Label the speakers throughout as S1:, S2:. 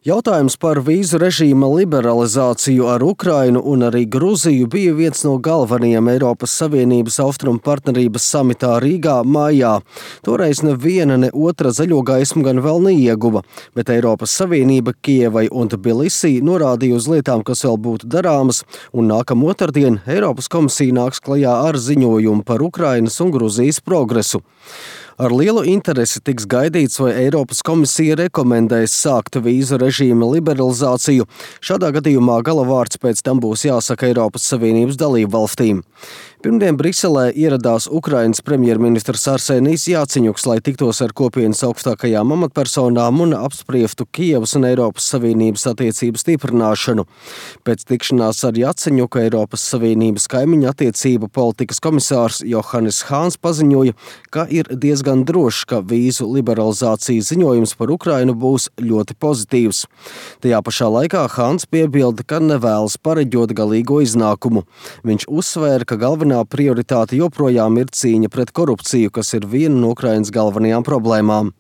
S1: Jautājums par vīzu režīma liberalizāciju ar Ukrainu un arī Gruziju bija viens no galvenajiem Eiropas Savienības austrumu partnerības samitā Rīgā maijā. Toreiz neviena ne otra zaļo gaismu gan vēl neieguva, bet Eiropas Savienība Kijevai un Tbilisī norādīja uz lietām, kas vēl būtu darāmas, un nākamā otrdien Eiropas komisija nāks klajā ar ziņojumu par Ukrainas un Gruzijas progresu. Ar lielu interesi tiks gaidīts, vai Eiropas komisija rekomendēs sākt vīzu režīma liberalizāciju. Šādā gadījumā galavārds pēc tam būs jāsaka Eiropas Savienības dalību valstīm. Pirmdien Briselē ieradās Ukrainas premjerministrs Arsenijs Jāceņuks, lai tiktos ar kopienas augstākajām amatpersonām un apspriestu Kijevas un Eiropas Savienības attiecību stiprināšanu. Pēc tikšanās ar Jāceņuku Eiropas Savienības kaimiņu attiecību politikas komisārs Johannes Hāns paziņoja, ka ir diezgan drošs, ka vīzu liberalizācijas ziņojums par Ukrainu būs ļoti pozitīvs. Tajā pašā laikā Hāns piebilda, ka nevēlas pareģot galīgo iznākumu. Viņš uzsvēra, ka galvenā prioritāte joprojām ir cīņa pret korupciju, kas ir viena no Ukrainas galvenajām problēmām.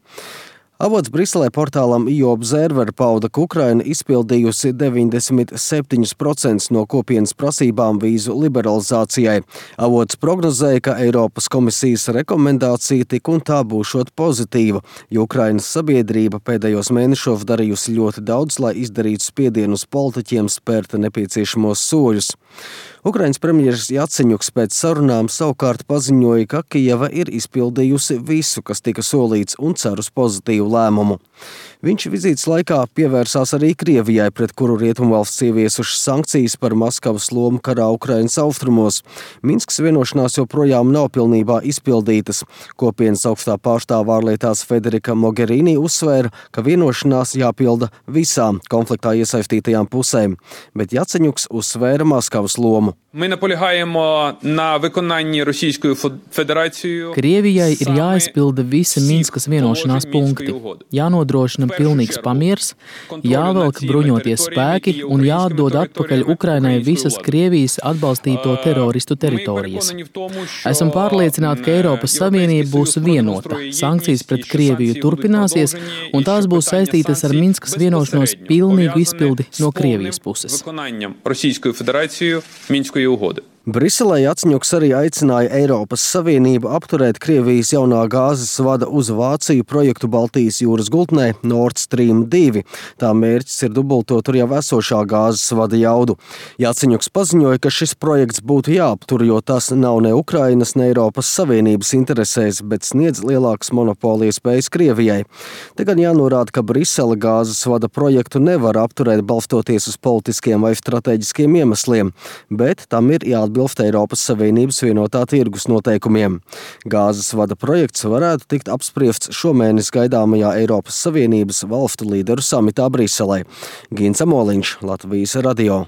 S1: Avots Briselē portālam EU Observer pauda, ka Ukraina izpildījusi 97% no kopienas prasībām vīzu liberalizācijai. Avots prognozēja, ka Eiropas komisijas rekomendācija tik un tā būšot pozitīva, jo Ukrainas sabiedrība pēdējos mēnešos darījusi ļoti daudz, lai izdarītu spiedienu uz politiķiem spērt nepieciešamos soļus. Ukrainas premjeras Jāceņuks pēc sarunām savukārt paziņoja, ka Kijeva ir izpildījusi visu, kas tika solīts, un cer uz pozitīvu lēmumu. Viņš vizītes laikā pievērsās arī Krievijai, pret kuru rietumvalsts ieviesušas sankcijas par Maskavas lomu karā Ukrainas austrumos. Minskas vienošanās joprojām nav pilnībā izpildītas. Kopienas augstā pārstāvā ārlietās Federika Mogherini uzsvēra, ka vienošanās jāpilda visām konfliktā iesaistītajām pusēm, bet Jāceņuks uzsvēra Maskavas lomu.
S2: Krievijai ir jāizpilda visi Minskas vienošanās punkti, jānodrošina pilnīgs pamiers, jāvelk bruņoties spēki un jāatdod atpakaļ Ukrainai visas Krievijas atbalstīto teroristu teritorijas. Esam pārliecināti, ka Eiropas Savienība būs vienota, sankcijas pret Krieviju turpināsies un tās būs saistītas ar Minskas vienošanos pilnīgu izpildi no Krievijas puses.
S1: Briselē Jāceņuks arī aicināja Eiropas Savienību apturēt Krievijas jaunā gāzes vada uz Vāciju projektu Baltijas jūras gultnē Nord Stream 2. Tā mērķis ir dubultot tur jau esošā gāzes vada jaudu. Jāceņuks paziņoja, ka šis projekts būtu jāaptur, jo tas nav ne Ukrainas, ne Eiropas Savienības interesēs, bet sniedz lielākas monopolijas spējas Krievijai. Te gan jānorāda, ka Brisele gāzes vada projektu nevar apturēt balstoties uz politiskiem vai strateģiskiem iemesliem, bet tam ir jāatbilst Eiropas Savienības vienotā tirgus noteikumiem. Gāzes vada projekts varētu tikt apspriests šomēnes gaidāmajā Eiropas Savienības valstu līderu samitā Briselē. Gins Amoliņš, Latvijas radio.